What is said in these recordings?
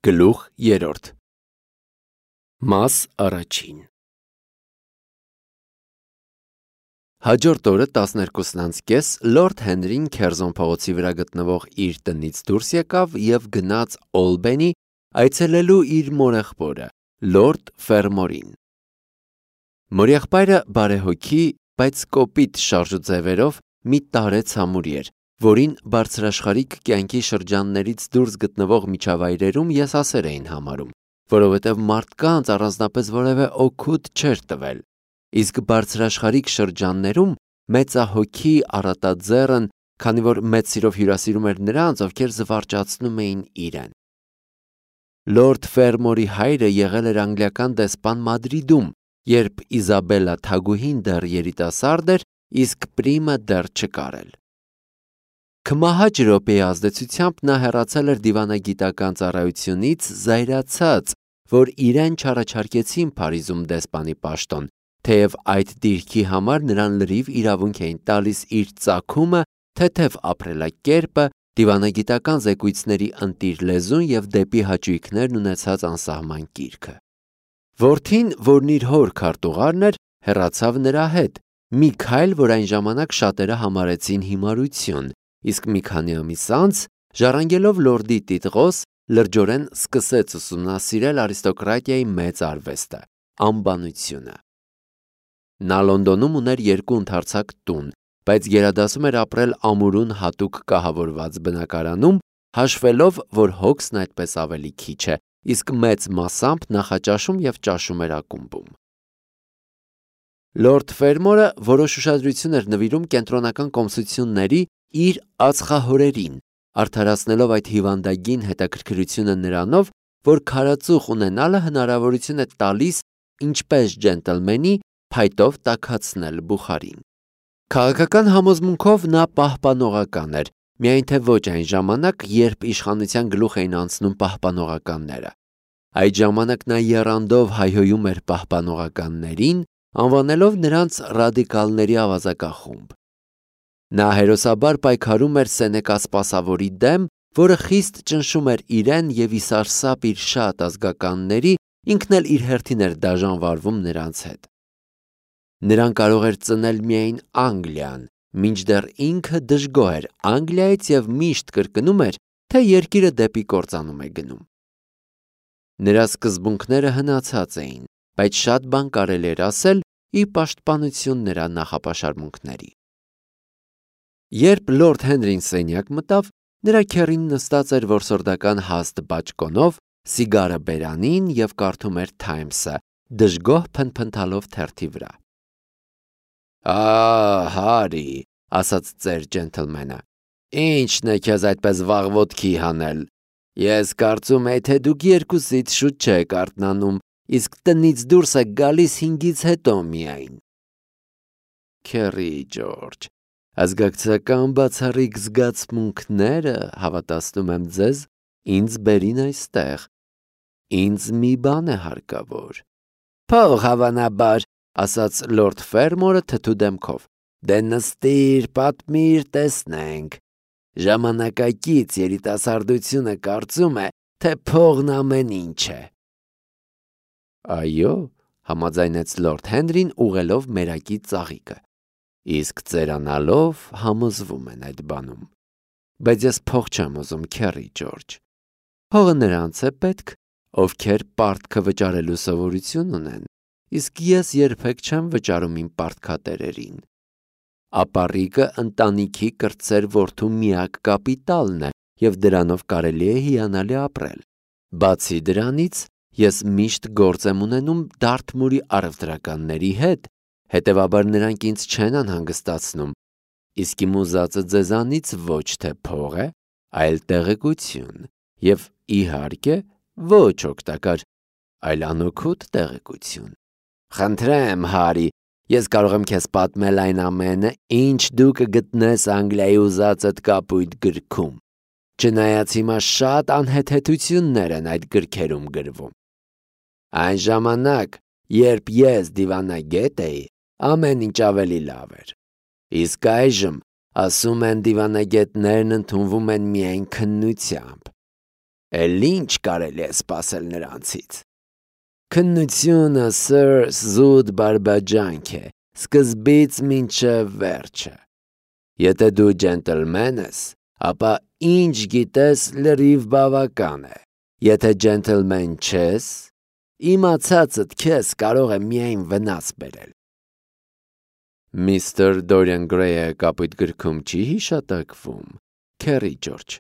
Գլուխ 3 Մաս առաջին Հաջորդ օրը 12:30 Լորդ Հենրին Քերզոն փողոցի վրա գտնվող իր տնից դուրս եկավ և գնաց Օլբենի այցելելու իր մորեղբորը, Լորդ Ֆերմորին։ Մորեղբայրը բարեհոգի, բայց կոպիտ շարժուձևերով մի տարեց ամուր էր, որին բարձրաշխարհիկ կյանքի շրջաններից դուրս գտնվող միջավայրերում եսասեր էին համարում, որովհետև մարդկանց առանձնապես որևէ օգուտ չէր տվել, իսկ բարձրաշխարհիկ շրջաններում մեծահոգի առատաձեռն, քանի որ մեծ սիրով հյուրասիրում էր նրանց, ովքեր զվարճացնում էին իրեն։ Լորդ Ֆերմորի հայրը եղել էր անգլիական դեսպան Մադրիդում, երբ Իզաբելլա թագուհին դեռ երիտասարդ էր, իսկ Պրիմը դեռ չկար էլ։ Քմահաճ րոպեի ազդեցությամբ նա հեռացել էր դիվանագիտական ծառայությունից, զայրացած, որ իրեն չառաջարկեցին Փարիզում դեսպանի պաշտոն, թեև այդ դիրքի համար նրան լրիվ իրավունք էին տալիս իր ծագումը, թեթև ապրելակերպը, դիվանագիտական զեկույցների ընտիր լեզուն և դեպի հաճույքներն ունեցած անսահման կիրքը։ Որդին, որն իր հոր քարտուղարն էր, հեռացավ նրա հետ, մի քայլ, որ այն ժամանակ շատերը համարեցին հիմարություն, իսկ մի քանի ամիս անց, ժառանգելով լորդի տիտղոս, լրջորեն սկսեց ուսումնասիրել արիստոկրատիայի մեծ արվեստը՝ անբանությունը։ Նա Լոնդոնում ուներ 2 ընդարձակ տուն, բայց գերադասում էր ապրել ամուրուն հատուկ կահավորված բնակարանում, հաշվելով, որ հոգսն այդպես ավելի քիչ է, իսկ մեծ մասամբ նախաճաշում և ճաշում էր ակումբում։ Լորդ Ֆերմորը որոշ ուշադրություն էր նվիրում կենտրոնական կոմսությունների իր ածխահորերին, արդարացնելով այդ հիվանդագին հետաքրքրությունը նրանով, որ քարածուխ ունենալը հնարավորություն է տալիս, ինչպես ջենտլմենի, փայտով տաքացնել բուխարին։ Քաղաքական համոզմունքով նա պահպանողական էր, միայն թե ոչ այն ժամանակ, երբ իշխանության գլուխ էին անցնում պահպանողականները։ Այդ ժամանակ նա եռանդով հայհոյում էր պահպանողականներին, անվանելով նրանց ռադիկալների ավազակախումբ։ Նա հերոսաբար պայքարում էր Սենեկա սպասավորի դեմ, որը խիստ ճնշում էր իրեն և ի սարսափ իր շատ ազգականների, ինքն էլ իր հերթին էր դաժան վարվում նրանց հետ։ Նրան կարող էր ծնել միայն Անգլիան, մինչդեռ ինքը դժգոհ էր Անգլիայից և միշտ կրկնում էր, թե երկիրը դեպի կործանում է գնում։ Նրա սկզբունքները հնացած էին, բայց շատ բան կարելի էր ասել ի պաշտպանություն նրա նախապաշարմունքների։ Երբ Լորդ Հենրին սենյակ մտավ, նրա քեռին նստած էր որսորդական հաստ բաճկոնով, սիգարը բերանին և կարդում էր Թայմսը, դժգոհ փնթփնթալով թերթի վրա։ Հարի, ասաց ծեր ջենթլմենը, ի՞նչն է քեզ այդպես վաղ ոտքի հանել։ Ես կարծում էի, թե դուք երկուսից շուտ չեք արթնանում, իսկ տնից դուրս եք գալիս 5-ից հետո միայն։ Քեռի Ջորջ, ազգակցական բացառիկ զգացմունքները, հավատացնում եմ ձեզ, ինձ բերին այստեղ։ Ինձ մի բան է հարկավոր։ Փող հավանաբար, ասաց Լորդ Ֆերմորը թթու դեմքով։ Դե նստիր, պատմիր, տեսնենք։ Ժամանակակից երիտասարդությունը կարծում է, թե փողն ամեն ինչ է։ Այո, համաձայնեց Լորդ Հենրին ուղղելով մերակի ծաղիկը։ Իսկ ծերանալով համոզվում են այդ բանում։ Բայց ես փող չեմ ուզում, քեռի Ջորջ։ Փողը նրանց է պետք, ովքեր պարտքը վճարելու սովորություն ունեն, իսկ ես երբեք չեմ վճարում իմ պարտքատերերին։ Ապառիկը ընտանիքի կրտսեր որդու միակ կապիտալն է, և դրանով կարելի է հիանալի ապրել։ Բացի դրանից, ես միշտ գործ եմ ունենում Դարթմուրի առևտրականների հետ, հետևաբար նրանք ինձ չեն անհանգստացնում, իսկ իմ ուզածը ձեզանից ոչ թե փող է, այլ տեղեկություն, և իհարկե ոչ օգտակար, այլ անօգուտ տեղեկություն։ Խնդրեմ, Հարի, ես կարող եմ քեզ պատմել այն ամենը, ինչ դու կգտնես Անգլիայի ուզածդ կապույտ գրքում, չնայած հիմա շատ անհեթեթություններ են այդ գրքերում գրվում։ Այն ժամանակ, երբ ես դիվանագետ էի, ամեն ինչ ավելի լավ էր։ Իսկ այժմ, ասում են, դիվանագետներն ընդունվում են միայն քննությամբ։ Էլ ինչ կարելի է սպասել նրանցից։ Քննությունը, սըր, զուտ բարբաջանք է, սկզբից մինչև վերջը։ Եթե դու ջենտլմեն ես, ապա ինչ գիտես լրիվ բավական է։ Եթե ջենտլմեն չես, իմացածդ քեզ կարող է միայն վնաս բերել։ Միստր Դորիան Գրեյը կապույտ գրքում չի հիշատակվում, Քերի Ջորջ։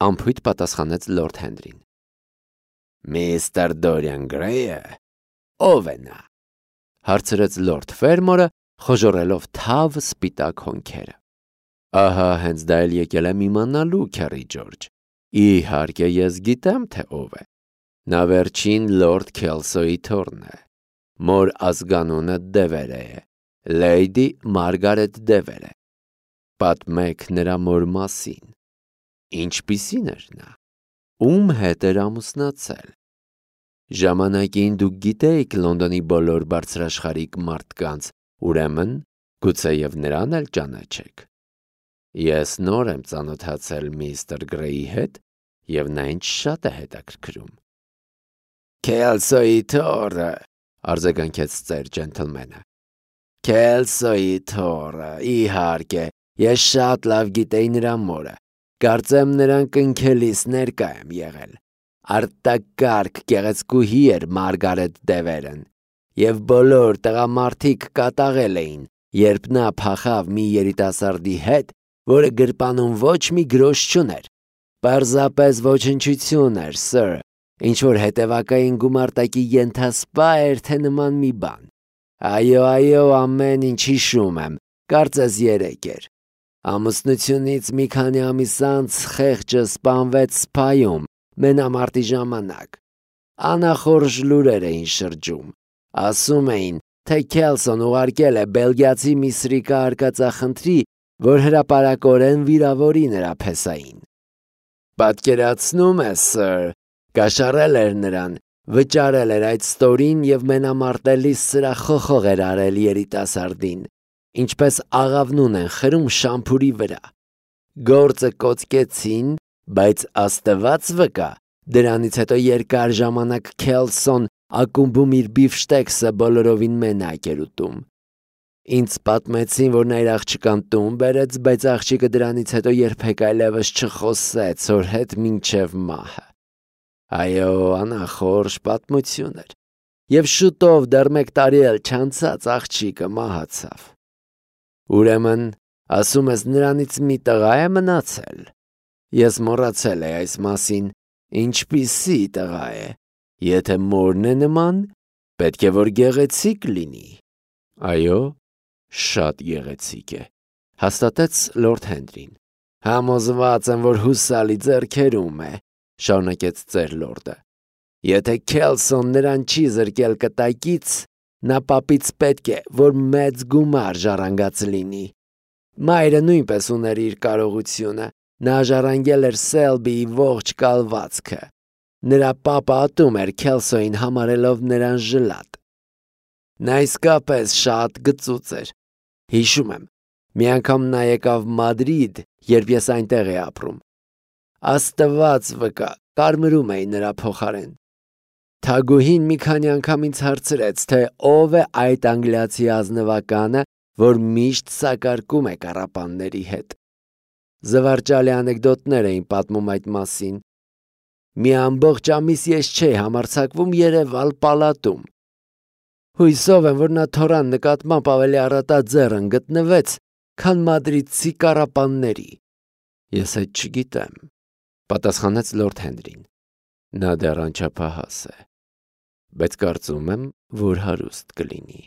Անփույթ պատասխանեց Լորդ Հենրին։ Միստր Դորիան Գրեյը, ո՞վ է նա։ Հարցրեց Լորդ Ֆերմորը, խոժոռելով թավ սպիտակ հոնքերը։ Ահա հենց դա էլ եկել եմ իմանալու, Քերի Ջորջ։ Իհարկե ես գիտեմ, թե ով է։ Նա վերջին Լորդ Քելսոյի թոռն է։ Մոր ազգանունը Դևերը է, Լեյդի Մարգարետ Դևերը։ Պատմեք նրա մոր մասին։ Ինչպիսին էր նա։ Ում հետ էր ամուսնացել։ Ժամանակին դուք գիտեիք Լոնդոնի բոլոր բարձրաշխարհիկ մարդկանց, ուրեմն գուցեև նրան էլ ճանաչեք։ Ես նոր եմ ծանոթացել միստր Գրեյի հետ, և նա ինձ շատ է հետաքրքրում։ Քելսոյի թոռը, արձագանքեց ծեր ջենթլմենը։ Քելսոյի թոռը, իհարկե, ես շատ լավ գիտեի նրա մորը։ Կարծեմ նրան կնքելիս ներկա եմ եղել։ Արտակարգ գեղեցկուհի էր Մարգարետ Դևերն, և բոլոր տղամարդիկ կատաղել էին, երբ նա փախավ մի երիտասարդի հետ, որը գրպանում ոչ մի գրոշ չուներ։ Պարզապես ոչնչություն էր, սըր, ինչ-որ հետևակային գումարտակի ենթասպա էր, թե նման մի բան։ Այո, ամեն ինչ հիշում եմ, կարծես երեկ էր։ Ամուսնությունից մի քանի ամիս անց խեղճը սպանվեց Սփայում, մենամարտի ժամանակ։ Անախորժ լուրեր էին շրջում։ Ասում էին, թե Քելսոն ուղարկել է բելգիացի մի սրիկա արկածախնդրի, որ հրապարակորեն վիրավորի նրա փեսային։ Պատկերացնում ես, սըր, կաշառել էր նրան, վճարել էր այդ ստորին և մենամարտելիս սրախոխող էր արել երիտասարդին, ինչպես աղավնուն են խրում շամփուրի վրա։ Գործը կոծկեցին, բայց Աստված վկա, դրանից հետո երկար ժամանակ Քելսոն ակումբում իր բիֆշտեքսը բոլորովին մենակ էր ուտում։ Ինձ պատմեցին, որ նա իր աղջկան տուն բերեց, բայց աղջիկը դրանից հետո երբեք այլևս չխոսեց հոր հետ մինչև մահը։ Այո, անախորժ պատմություն էր։ Եվ շուտով դեռ 1 տարի էլ չանցած աղջիկը մահացավ։ Ուրեմն, ասում ես նրանից մի տղա է մնացել։ Ես մոռացել էի այս մասին, ինչպիսի տղա է։ Եթե մորն է նման, պետք է որ գեղեցիկ լինի։ Այո, շատ գեղեցիկ է, հաստատեց Լորդ Հենրին։ Համոզված եմ, որ հուսալի ձեռքերում է, շարունակեց ծեր լորդը։ Եթե Քելսոն նրան չի զրկել կտակից, նա պապից պետք է, որ մեծ գումար ժառանգած լինի։ Մայրը նույնպես ուներ իր կարողությունը, նա ժառանգել էր Սելբիի ողջ կալվածքը։ Նրա պապը ատում էր Քելսոյին համարելով նրան ժլատ։ Նա իսկապես շատ գծուծ էր։ Հիշում եմ, մի անգամ նա եկավ Մադրիդ, երբ ես այնտեղ էի ապրում։ Աստված վկա, կարմրում էի նրա փոխարեն։ Թագուհին մի քանի անգամ ինձ հարցրեց, թե ով է այդ անգլիացի ազնվականը, որ միշտ սակարկում է կառապանների հետ։ Զվարճալի անեկդոտներ էին պատմում այդ մասին։ Մի ամբողջ ամիս ես չէի համարձակվում երևալ պալատում։ Հույսով եմ, որ նա թորան նկատմամբ ավելի առատաձեռն գտնվեց, քան մադրիդցի կառապանների։ Ես այդ չգիտեմ, պատասխանեց Լորդ Հենրին։ Նա դեռ անչափահաս է, բայց կարծում եմ, որ հարուստ կլինի։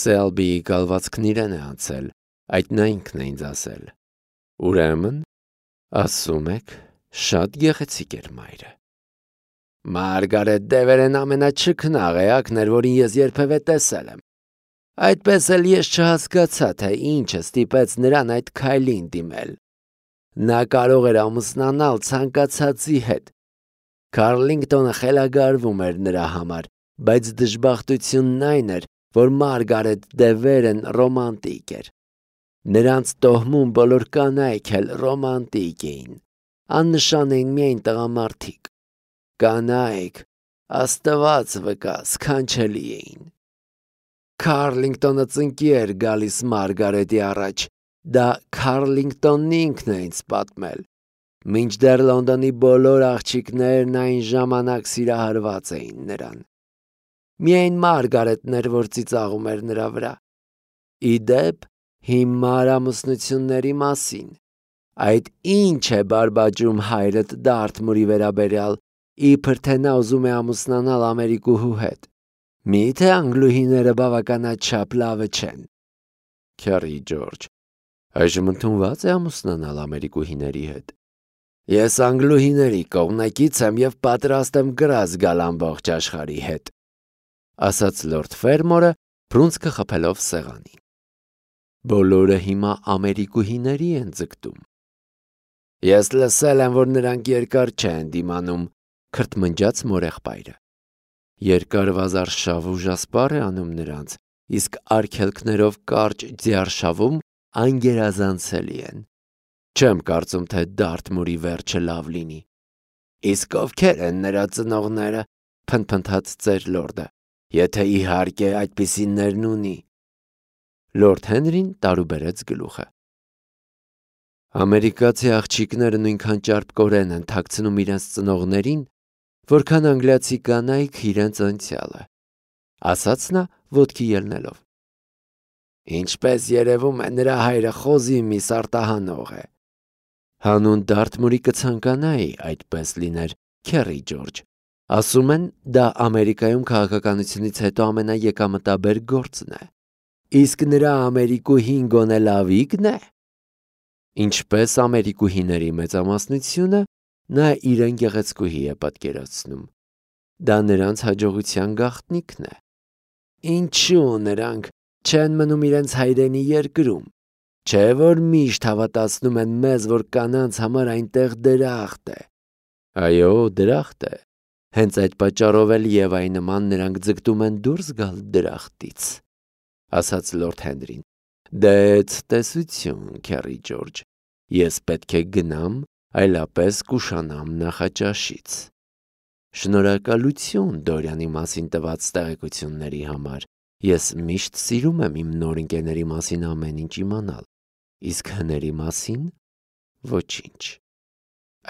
Սելբիի կալվածքն իրեն է անցել, այդ նա ինքն է ինձ ասել։ Ուրեմն, ասում եք, շատ գեղեցիկ էր մայրը։ Մարգարետ Դևերն ամենաչքնաղ էակն էր, որին ես երբևէ տեսել եմ։ Այդպես էլ ես չհասկացա, թե ինչը ստիպեց նրան այդ քայլին դիմել։ Նա կարող էր ամուսնանալ ցանկացածի հետ։ Քարլինգտոնը խելագարվում էր նրա համար, բայց դժբախտությունն այն էր, որ Մարգարետ Դևերն ռոմանտիկ էր։ Նրանց տոհմում բոլոր կանայք էլ ռոմանտիկ էին։ աննշան էին միայն տղամարդիկ։ Կանայք, Աստված վկա, սքանչելի էին։ Քարլինգտոնը ծնկի էր գալիս Մարգարետի առաջ, դա Քարլինգտոնն ինքն է ինձ պատմել։ Մինչդեռ Լոնդոնի բոլոր աղջիկներն այն ժամանակ սիրահարված էին նրան։ Միայն Մարգարետն էր, որ ծիծաղում էր նրա վրա։ Ի դեպ, հիմար ամուսնությունների մասին։ Այդ ինչ է բարբաջում հայրդ Դարթմուրի վերաբերյալ, իբր թե նա ուզում է ամուսնանալ Ամերիկուհու հետ։ Միթե անգլուհիները բավականաչափ լավը չեն։ Քյարի Ջորջ, այժմ ընդունված է ամուսնանալ ամերիկուհիների հետ։ Ես անգլուհիների կողմնակից եմ և պատրաստ եմ գրազ գալ ամբողջ աշխարհի հետ, ասաց լորդ Ֆերմորը, բռունցքը խփելով սեղանին։ Բոլորը հիմա ամերիկուհիների են ձգտում։ Ես լսել եմ, որ նրանք երկար չեն դիմանում, քրթմնջաց մորեղբայրը։ Երկար վազարշավ ուժասպառ է անում նրանց, իսկ արգելքներով կարճ ձիարշավում անգերազանցելի են։ Չեմ կարծում, թե Դարթմուրի վերջը լավ լինի։ Իսկ ովքեր են նրա ծնողները, փնթփնթաց ծեր լորդը, եթե իհարկե այդպիսիներն ունի։ Լորդ Հենրին տարուբերեց գլուխը։ Ամերիկացի աղջիկները նույնքան ճարպկորեն են թաքցնում իրենց ծնողներին, որքան անգլիացի կանայք իրենց անցյալը, ասաց նա ոտքի ելնելով։ Ինչպես երևում է, նրա հայրը խոզի միս արտահանող է։ Հանուն Դարթմուրի կցանկանայի այդպես լիներ, Քերի Ջորջ։ Ասում են, դա Ամերիկայում քաղաքականությունից հետո ամենաեկամտաբեր գործն է։ Իսկ նրա ամերիկուհին գոնե լավիկն է։ Ինչպես ամերիկուհիների մեծամասնությունը, նա իրեն գեղեցկուհի է պատկերացնում։ Դա նրանց հաջողության գաղտնիքն է։ Ինչու նրանք չեն մնում իրենց հայրենի երկրում։ Չէ՞ որ միշտ հավատացնում են մեզ, որ կանանց համար այնտեղ դրախտ է։ Այո, դրախտ է։ Հենց այդ պատճառով էլ Եվայի նման նրանք ձգտում են դուրս գալ դրախտից, ասաց լորդ Հենրին։ Դե ցտեսություն, Քերի Ջորջ։ Ես պետք է գնամ, այլապես կուշանամ նախաճաշից։ Շնորհակալություն Դորյանի մասին տված տեղեկությունների համար։ Ես միշտ սիրում եմ իմ նոր ընկերների մասին ամեն ինչ իմանալ, իսկ հների մասին ոչինչ։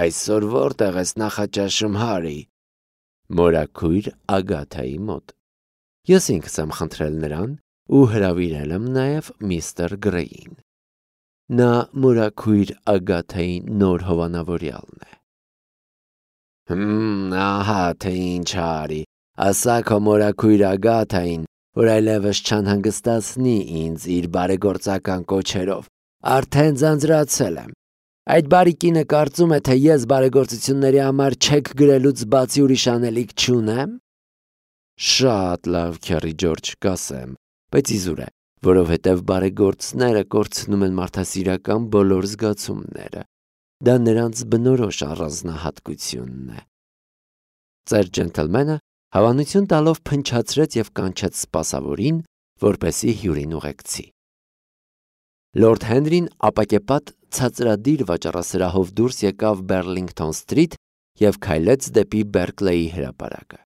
Այսօր որտեղ ես նախաճաշում, Հարի։ Մորաքույր Ագաթայի մոտ։ Ես ինքս եմ խնդրել նրան ու հրավիրել եմ նաև միստր Գրեյին։ Նա մորաքույր Ագաթայի նոր հովանավորյալն է։ Ահա թե ինչ, Հարի, ասա քո մորաքույր Ագաթային, որ այլևս չանհանգստացնի ինձ իր բարեգործական կոչերով, արդեն ձանձրացել եմ։ Այդ բարի կինը կարծում է, թե ես բարեգործությունների համար չեք գրելուց բացի ուրիշ անելիք չունեմ։ Շատ լավ, Քերի Ջորջ, կասեմ, բայց իզուր է, որովհետև բարեգործները կորցնում են մարդասիրական բոլոր զգացումները։ Դա նրանց բնորոշ առանձնահատկությունն է։ Ծեր ջենթլմենը հավանություն տալով փնչացրեց և կանչեց սպասավորին, որպեսզի հյուրին ուղեկցի։ Լորդ Հենրին ապակեպատ ցածրադիր վաճառասրահով դուրս եկավ Բեռլինգթոն Սթրիթ և քայլեց դեպի Բերկլեի հրապարակը։